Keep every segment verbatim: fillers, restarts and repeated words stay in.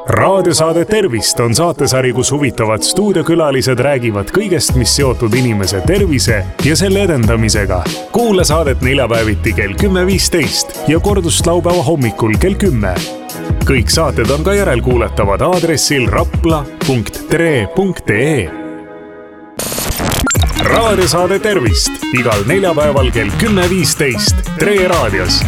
Raadiosaade Tervist on saatesari, kus huvitavad stuudiokülalised räägivad kõigest, mis seotud inimese tervise ja selle edendamisega. Kuula saadet neljapäeviti kell kümme viisteist ja kordust laupäeva hommikul kell kümme. Kõik saated on ka järelkuuletavad aadressil rapla punkt tre punkt ee. Raadiosaade Tervist igal neljapäeval kell kümme viisteist Tre raadios.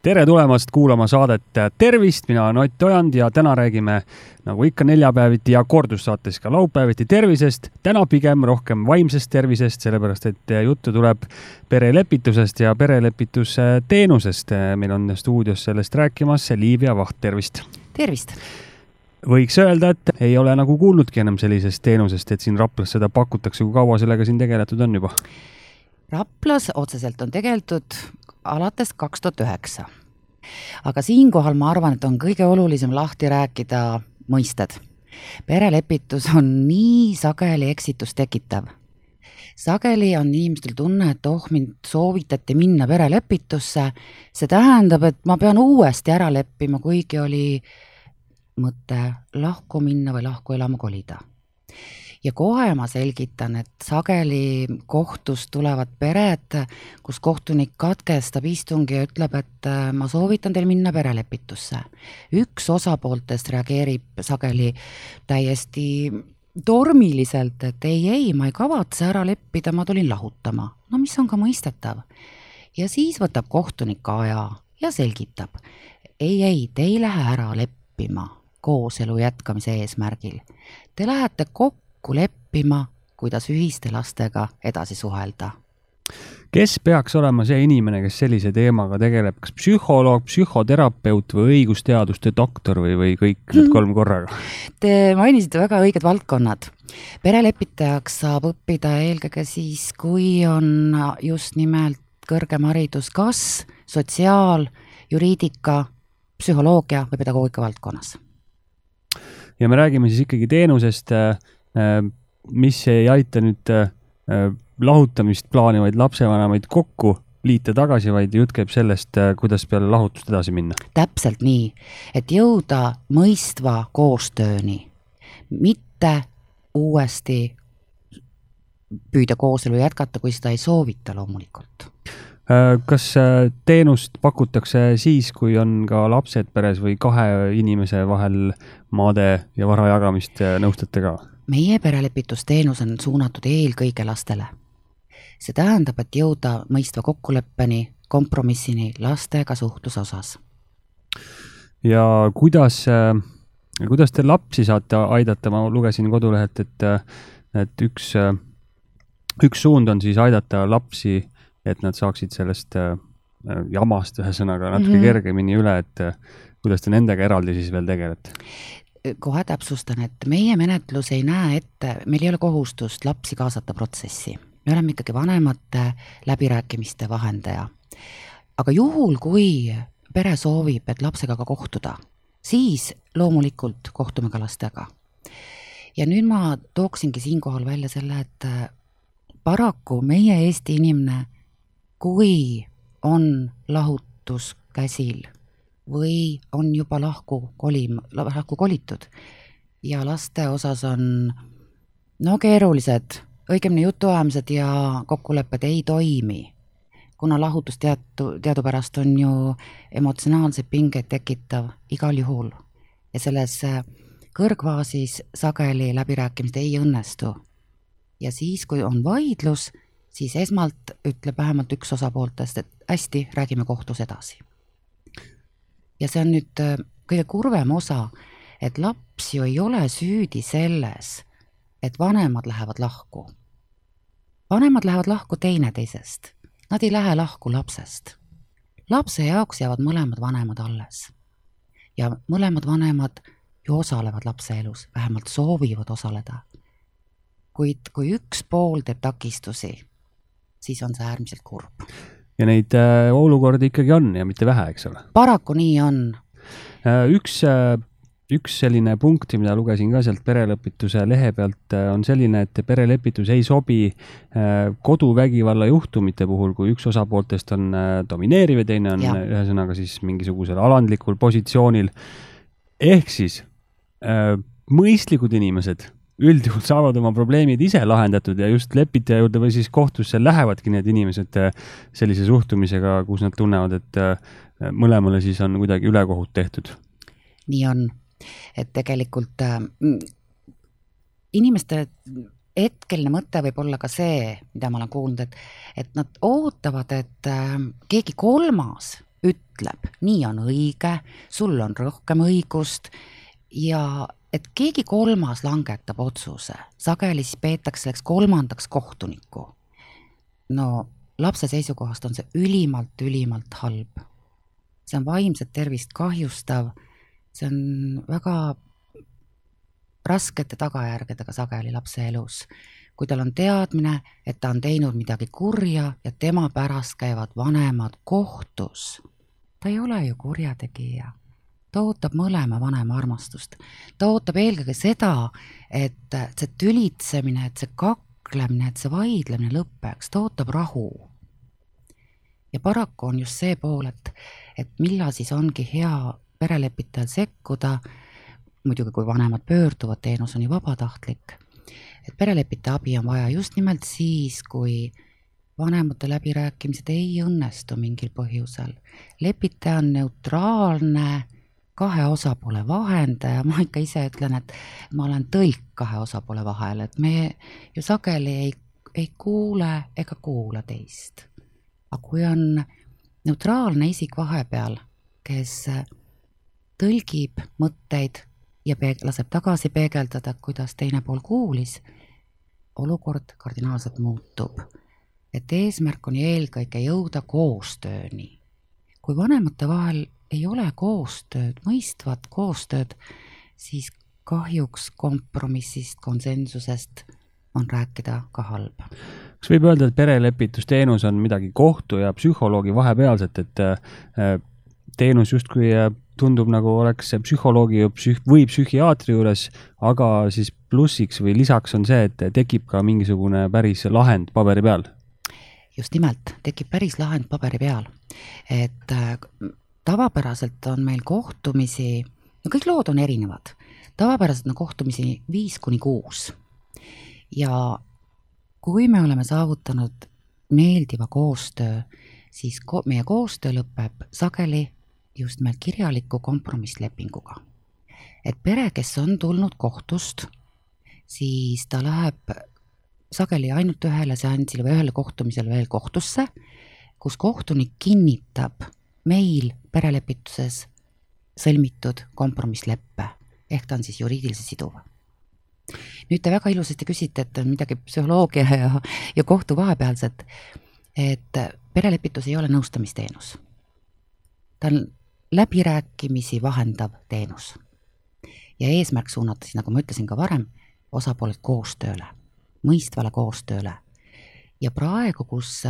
Tere tulemast kuulama saadet Tervist, mina olen Ott Ojand ja täna räägime nagu ikka neljapäeviti ja kordussaates ka laupäeviti tervisest. Täna pigem rohkem vaimsest tervisest, sellepärast et juttu tuleb perelepitusest ja perelepitusteenusest. Meil on stuudios sellest rääkimas Liivia Vaht, tervist! Tervist! Võiks öelda, et ei ole nagu kuulnudki enam sellisest teenusest, et siin Raplas seda pakutakse, kui kaua sellega siin tegeletud on juba? Raplas otseselt on tegeletud alates kaks tuhat üheksa. Aga siinkohal ma arvan, et on kõige olulisem lahti rääkida mõisted. Perelepitus on nii sageli eksitus tekitav. Sageli on inimestel tunne, et oh, mind soovitati minna perelepitusse. See tähendab, et ma pean uuesti ära leppima, kuigi oli mõte lahku minna või lahku elama kolida. Ja kohe ma selgitan, et sageli kohtust tulevad pered, kus kohtunik katkestab istungi ja ütleb, et ma soovitan teil minna perelepitusse. Üks osapooltest reageerib sageli täiesti tormiliselt, et ei, ei, ma ei kavatse ära leppida, ma tulin lahutama. No mis on ka mõistetav. Ja siis võtab kohtunik aja ja selgitab. Ei, ei, te ei lähe ära leppima kooselu jätkamise eesmärgil. Te lähete kokku leppima, kuidas ühiste lastega edasi suhelda. Kes peaks olema see inimene, kes sellise teemaga tegeleb? Kas psühholoog, psühhoterapeut või õigusteaduste doktor või, või kõik need kolm korraga? Te mainisite väga õiged valdkonnad. Perelepitajaks saab õppida eelkõige siis, kui on just nimelt kõrgem haridus kas sotsiaal, juriidika, psühholoogia või pedagoogika valdkonnas. Ja me räägime siis ikkagi teenusest, mis ei aita nüüd lahutamist plaanivaid lapsevanemaid kokku liita tagasi, vaid jutt käib sellest, kuidas peale lahutust edasi minna. Täpselt nii, et jõuda mõistva koostööni, mitte uuesti püüda kooselu jätkata, kui seda ei soovita loomulikult. Kas teenust pakutakse siis, kui on ka lapsed peres või kahe inimese vahel maade ja vara jagamist nõustate ka? Meie perelepitusteenus on suunatud eelkõige lastele. See tähendab, et jõuda mõistva kokkuleppeni, kompromissini lastega suhtluse osas. Ja kuidas, kuidas te lapsi saate aidata? Ma lugesin kodulehelt, et, et üks, üks suund on siis aidata lapsi, et nad saaksid sellest jamast ühesõnaga natuke mm-hmm. kergemini üle, et kuidas te nendega eraldi siis veel tegelete? Kohe täpsustan, et meie menetlus ei näe ette, meil ei ole kohustust lapsi kaasata protsessi. Me oleme ikkagi vanemate läbirääkimiste vahendaja. Aga juhul, kui pere soovib, et lapsega ka kohtuda, siis loomulikult kohtume ka lastega. Ja nüüd ma tooksingi siinkohal välja selle, et paraku meie Eesti inimene, kui on lahutus käsil või on juba lahku, kolim, lahku kolitud ja laste osas on no keerulised, õigemini jutuajamised ja kokkulepped ei toimi, kuna lahutus teatu, teadupärast on ju emotsionaalse pingeid tekitav igal juhul ja selles kõrgvaasis sageli läbirääkimist ei õnnestu. Ja siis, kui on vaidlus, siis esmalt ütleb vähemalt üks osapooltest, et hästi, räägime kohtus edasi. Ja see on nüüd kõige kurvem osa, et laps ju ei ole süüdi selles, et vanemad lähevad lahku. Vanemad lähevad lahku teineteisest. Nad ei lähe lahku lapsest. Lapse jaoks jäävad mõlemad vanemad alles. Ja mõlemad vanemad ju osalevad lapse elus, vähemalt soovivad osaleda. Kuid kui üks pool teeb takistusi, siis on see äärmiselt kurb. Ja neid äh, olukordi ikkagi on ja mitte vähe, eks ole? Paraku nii on. Äh, üks, äh, üks selline punkt, mida lugesin ka sealt perelepituse lehe pealt, äh, on selline, et perelepitus ei sobi äh, koduvägivalla juhtumite puhul, kui üks osapooltest on äh, domineeriv ja teine on ja. ühesõnaga siis mingisugusel alandlikul positsioonil. ehk siis äh, mõistlikud inimesed üldjuhul saavad oma probleemid ise lahendatud ja just lepitaja juurde või siis kohtusse lähevadki need inimesed sellise suhtumisega, kus nad tunnevad, et mõlemale siis on kuidagi ülekohut tehtud. Nii on, et tegelikult äh, inimeste hetkeline mõte võib olla ka see, mida ma olen kuulnud, et, et nad ootavad, et äh, keegi kolmas ütleb, nii on õige, sul on rohkem õigust ja et keegi kolmas langetab otsuse, sageli siis peetakse selleks kolmandaks kohtunikku. No lapse seisukohast on see ülimalt, ülimalt halb. See on vaimset tervist kahjustav, see on väga raskete tagajärgedega sageli lapse elus. Kui tal on teadmine, et ta on teinud midagi kurja ja tema pärast käivad vanemad kohtus, ta ei ole ju kurjategija. Ta ootab mõlema vanema armastust. Ta ootab eelkõige seda, et see tülitsemine, et see kaklemine, et see vaidlemine lõppeks, ta ootab rahu. Ja paraku on just see pool, et, et millal siis ongi hea perelepitajal sekkuda, muidugi kui vanemad pöörduvad, teenus on ju vabatahtlik, et perelepitaja abi on vaja just nimelt siis, kui vanemate läbirääkimised ei õnnestu mingil põhjusel. Lepitaja on neutraalne, kahe osapoole vahendaja, ma ikka ise ütlen, et ma olen tõlk kahe osapoole vahel, et me ju sageli ei, ei kuule ega kuula teist. Aga kui on neutraalne isik vahepeal, kes tõlgib mõtteid ja peeg- laseb tagasi peegeldada, kuidas teine pool kuulis, olukord kardinaalselt muutub. Et eesmärk on eelkõige jõuda koostööni. Kui vanemate vahel ei ole koostööd, mõistvat koostööd, siis kahjuks kompromissist, konsensusest on rääkida ka halb. Kas võib öelda, et perelepitusteenus on midagi kohtu ja psühholoogi vahepealset, et teenus justkui tundub nagu oleks psühholoogi psüh- või psühhiaatri juures, aga siis plussiks või lisaks on see, et tekib ka mingisugune päris lahend paberi peal? Just nimelt, tekib päris lahend paberi peal. Et tavapäraselt on meil kohtumisi, no kõik lood on erinevad, tavapäraselt on kohtumisi viis kuni kuus. Ja kui me oleme saavutanud meeldiva koostöö, siis ko- meie koostöö lõpeb sageli just meil kirjaliku kompromisslepinguga. Et pere, kes on tulnud kohtust, siis ta läheb sageli ainult ühele seansile või ühele kohtumisele veel kohtusse, kus kohtunik kinnitab meil perelepituses sõlmitud kompromissleppe, ehk ta on siis juriidiliselt siduv. Nüüd te väga ilusasti küsite, et on midagi psühholoogia ja, ja kohtu vahepealset, et perelepitus ei ole nõustamisteenus. Ta on läbirääkimisi vahendav teenus. Ja eesmärk suunata, siis nagu ma ütlesin ka varem, osapooled koostööle, mõistvale koostööle. Ja praegu, kus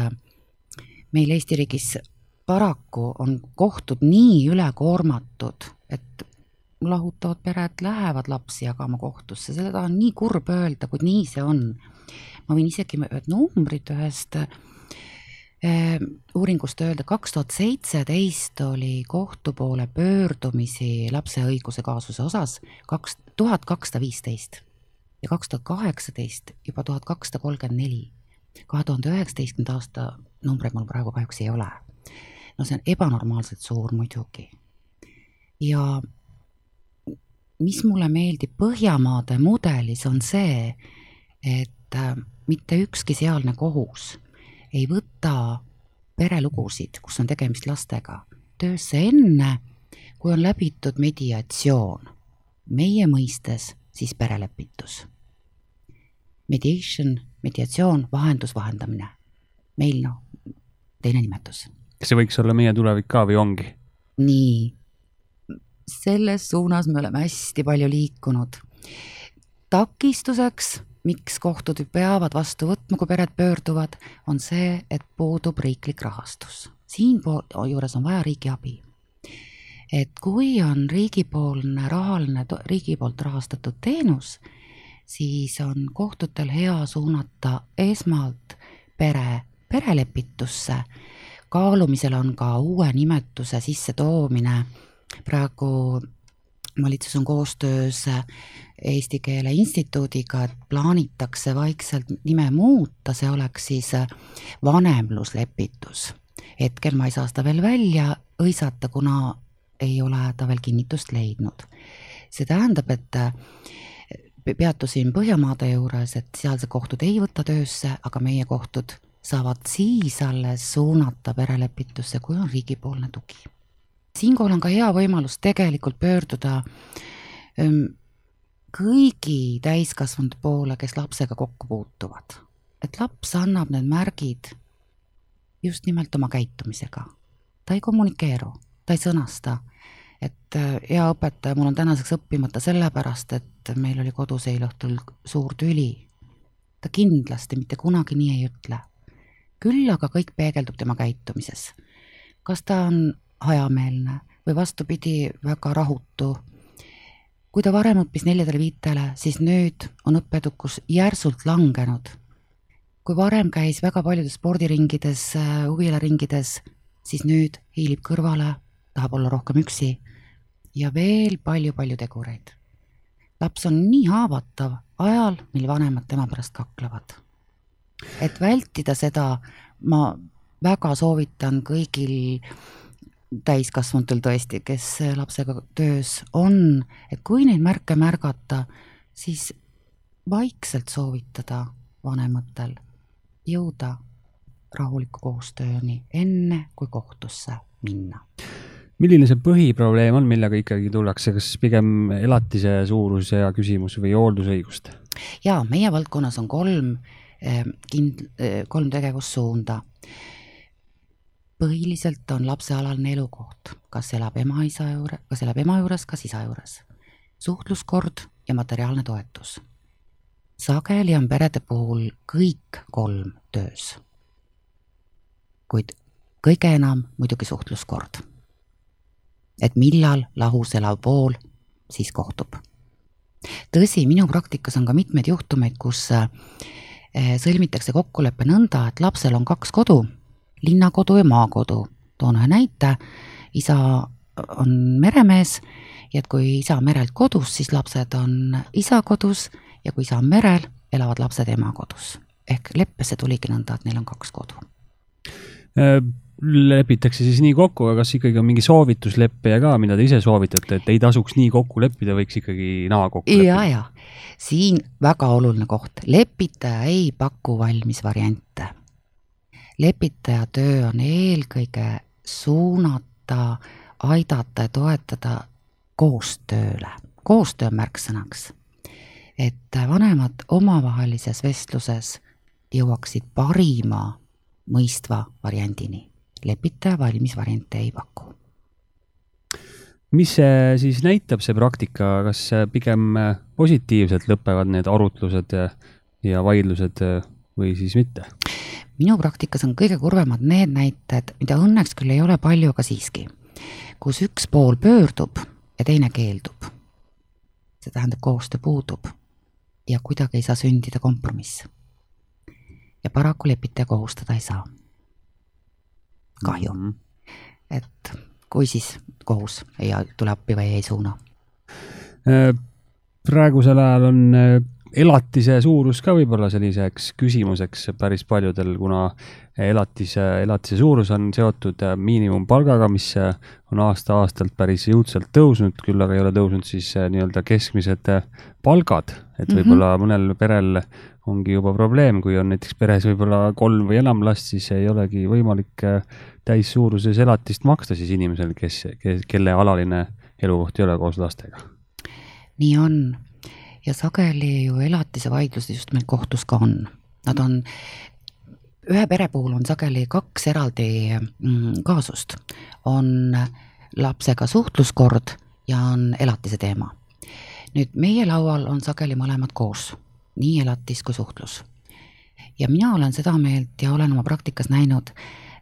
meil Eesti riigis paraku on kohtud nii ülekoormatud, et lahutavad pered lähevad lapsi jagama kohtusse, seda on nii kurb öelda, kui nii see on. Ma võin isegi numbrid ühest eh, uuringust öelda, kaks tuhat seitseteist oli kohtu poole pöördumisi lapse õiguse kaasuse osas tuhat kakssada viisteist ja kaks tuhat kaheksateist juba tuhat kakssada kolmkümmend neli. kahe tuhande üheksateistkümnenda aasta numbreid mul praegu kahjuks ei ole. No see on ebanormaalselt suur muidugi. Ja mis mulle meeldib Põhjamaade mudelis on see, et mitte ükski sealne kohus ei võta perelugusid, kus on tegemist lastega, töösse enne, kui on läbitud mediatsioon. Meie mõistes siis perelepitus. Mediation, mediatsioon, vahendus, vahendamine. Meil no, teine nimetus. Kas see võiks olla meie tulevik ka või ongi? Nii. Selles suunas me oleme hästi palju liikunud. Takistuseks, miks kohtud peavad vastu võtma, kui pered pöörduvad, on see, et puudub riiklik rahastus. Siin juures on vaja riigi abi. Et kui on riigipoolne rahaline, riigi poolt rahastatud teenus, siis on kohtutel hea suunata esmalt pere, perelepitusse. Kaalumisel on ka uue nimetuse sisse toomine. Praegu valitsus on koostöös Eesti Keele Instituudiga, et plaanitakse vaikselt nime muuta, see oleks siis vanemluslepitus. Hetkel ma ei saa seda veel välja õisata, kuna ei ole ta veel kinnitust leidnud. See tähendab, et peatusin Põhjamaade juures, et sealse kohtud ei võta töösse, aga meie kohtud saavad siis alles suunata perelepitusse, kui on riigipoolne tugi. Siinkohal on ka hea võimalus tegelikult pöörduda kõigi täiskasvanud poole, kes lapsega kokku puutuvad. Et laps annab need märgid just nimelt oma käitumisega. Ta ei kommunikeeru, ta ei sõnasta. Et hea õpetaja, mul on tänaseks õppimata sellepärast, et meil oli kodus eilõhtul suur tüli. Ta kindlasti mitte kunagi nii ei ütle. Küll aga kõik peegeldub tema käitumises. Kas ta on hajameelne või vastupidi väga rahutu. Kui ta varem õppis neljadele viitele, siis nüüd on õppeedukus järsult langenud. Kui varem käis väga paljudes spordiringides, huvialaringides, siis nüüd hiilib kõrvale, tahab olla rohkem üksi ja veel palju-palju tegureid. Laps on nii haavatav ajal, mil vanemad tema pärast kaklevad. Et vältida seda, ma väga soovitan kõigil täiskasvanutel tõesti, kes lapsega töös on, et kui neid märke märgata, siis vaikselt soovitada vanematel jõuda rahuliku koostööni enne, kui kohtusse minna. Milline see põhiprobleem on, millega ikkagi tullakse, kas pigem elatise suurus ja küsimus või hooldusõigust? Jaa, meie valdkonnas on kolm, kind, kolm tegevussuunda. Põhiliselt on lapsealaline elukoht, kas elab ema, isa juures, kas elab ema juures, kas isa juures. Suhtluskord ja materiaalne toetus. Sageli on perede puhul kõik kolm töös. Kuid kõige enam muidugi suhtluskord. Et millal lahus elav pool siis kohtub. Tõsi, minu praktikas on ka mitmeid juhtumeid, kus sõlmitakse kokkuleppe nõnda, et lapsel on kaks kodu, linnakodu ja maakodu. Toon ühe näite, isa on meremees ja et kui isa on merelt kodus, siis lapsed on isa kodus ja kui isa on merel, elavad lapsed ema kodus. Ehk leppesse tuligi nõnda, et neil on kaks kodu. Lepitakse siis nii kokku, aga kas ikkagi on mingi soovitusleppeja ka, mida te ise soovitate, et ei tasuks nii kokku leppida, võiks ikkagi naa kokku leppida? Ja, ja. Siin väga oluline koht. Lepitaja ei paku valmis variante. Lepitaja töö on eelkõige suunata, aidata ja toetada koostööle. Koostöö on märksõnaks. Et vanemad omavahelises vestluses jõuaksid parima mõistva variandini. Lepitaja valmis variante ei paku. Mis see siis näitab see praktika, kas pigem positiivselt lõpevad need arutlused ja vaidlused või siis mitte? Minu praktikas on kõige kurvemad need näited, mida õnneks küll ei ole palju, aga siiski, kus üks pool pöördub ja teine keeldub. See tähendab, koostöö puudub ja kuidagi ei saa sündida kompromiss. Ja paraku lepitaja kohustada ei saa. Kahju. Mm -hmm. Et kui siis kohus ei tule appi või ei suuna? Praegusel ajal on elatise suurus ka võib-olla selliseks küsimuseks päris paljudel, kuna elatise, elatise suurus on seotud miinimumpalgaga, mis on aasta-aastalt päris jõudsalt tõusnud, küll aga ei ole tõusnud siis nii-öelda keskmised palgad, et võib-olla mõnel perel ongi juba probleem, kui on näiteks peres võib-olla kolm või enam last, siis ei olegi võimalik täis suuruses elatist maksta siis inimesel, kes, kes, kelle alaline elukoht ei ole koos lastega. Nii on. Ja sageli ju elatise vaidlused just meil kohtus ka on. Nad on, ühe pere puhul on sageli kaks eraldi mm, kaasust. On lapsega suhtluskord ja on elatise teema. Nüüd meie laual on sageli mõlemad koos, nii elatis kui suhtlus. Ja mina olen seda meelt ja olen oma praktikas näinud,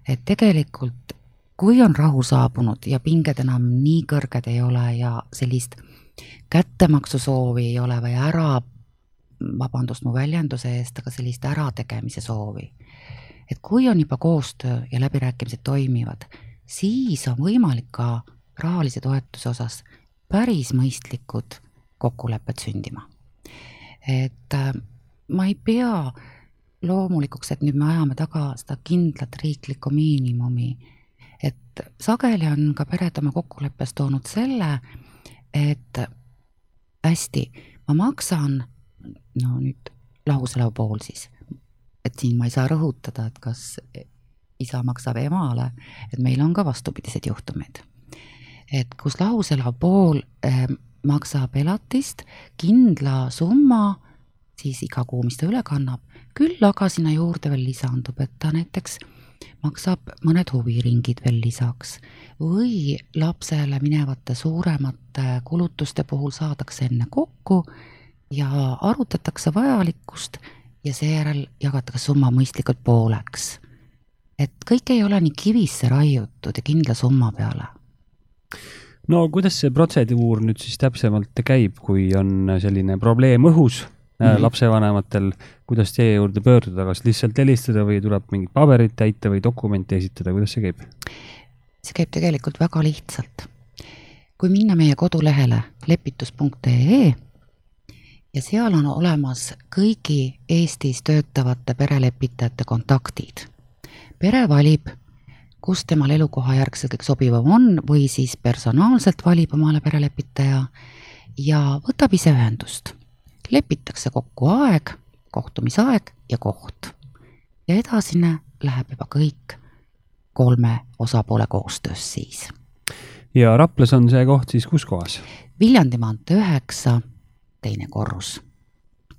et tegelikult kui on rahu saabunud ja pinged enam nii kõrged ei ole ja sellist kättemaksu soovi ei ole või ära, vabandust mu väljenduse eest, aga sellist ärategemise soovi. Et kui on juba koostöö ja läbirääkimised toimivad, siis on võimalik ka rahalise toetuse osas päris mõistlikud kokkulepped sündima. Et äh, ma ei pea loomulikuks, et nüüd me ajame taga seda kindlat riiklikku miinimumi. Et sageli on ka pered oma kokkuleppes toonud selle, et hästi, ma maksan, no nüüd lahuselav pool siis, et siin ma ei saa rõhutada, et kas isa maksab emale, et meil on ka vastupidised juhtumid. Et kus lahuselav pool eh, maksab elatist kindla summa, siis iga kuu, mis ta üle kannab, küll aga sinna juurde veel lisandub, et ta näiteks maksab mõned huviringid veel lisaks või lapsele minevate suuremate kulutuste puhul saadakse enne kokku ja arutatakse vajalikkust ja seejärel jagatakse summa mõistlikult pooleks. Et kõik ei ole nii kivisse raiutud ja kindla summa peale. No kuidas see protseduur nüüd siis täpsemalt käib, kui on selline probleem õhus mm-hmm. lapsevanematel, kuidas teie juurde pöörduda, kas lihtsalt helistada või tuleb mingid paberid täita või dokumenti esitada, kuidas see käib? See käib tegelikult väga lihtsalt. Kui minna meie kodulehele lepitus punkt ee ja seal on olemas kõigi Eestis töötavate perelepitajate kontaktid. Pere valib, kus temal elukoha järgselt kõik sobivam on või siis personaalselt valib omale perelepitaja ja võtab ise ühendust. Lepitakse kokku aeg, kohtumisaeg ja koht. Ja edasine läheb juba kõik kolme osapoole koostöös siis. Ja Raplas on see koht siis kus kohas? Viljandi maantee üheksa, teine korrus.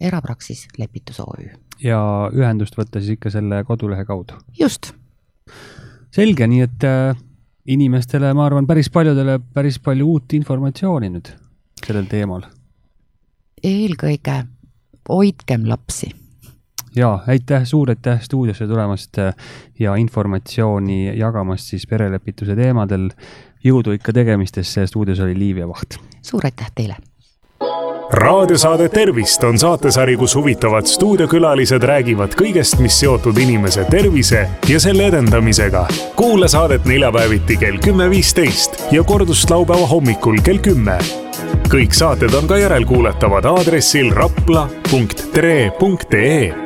Erapraksis Lepitus O Ü. Ja ühendust võtta siis ikka selle kodulehe kaudu? Just. Selge, nii et äh, inimestele, ma arvan, päris paljudele päris palju uut informatsiooni nüüd sellel teemal. Eelkõige hoidkem lapsi. Ja, aitäh, suur aitäh stuudiosse tulemast ja informatsiooni jagamast siis perelepituse teemadel. Jõudu ikka tegemistesse, stuudios oli Liivia Vaht. Suur aitäh teile! Raadiosaade Tervist on saatesari, kus huvitavad stuudiokülalised räägivad kõigest, mis seotud inimese tervise ja selle edendamisega. Kuula saadet neljapäeviti kell kümme viisteist ja kordust laupäeva hommikul kell kümme. Kõik saated on ka järelkuuletavad aadressil rapla punkt tre punkt ee.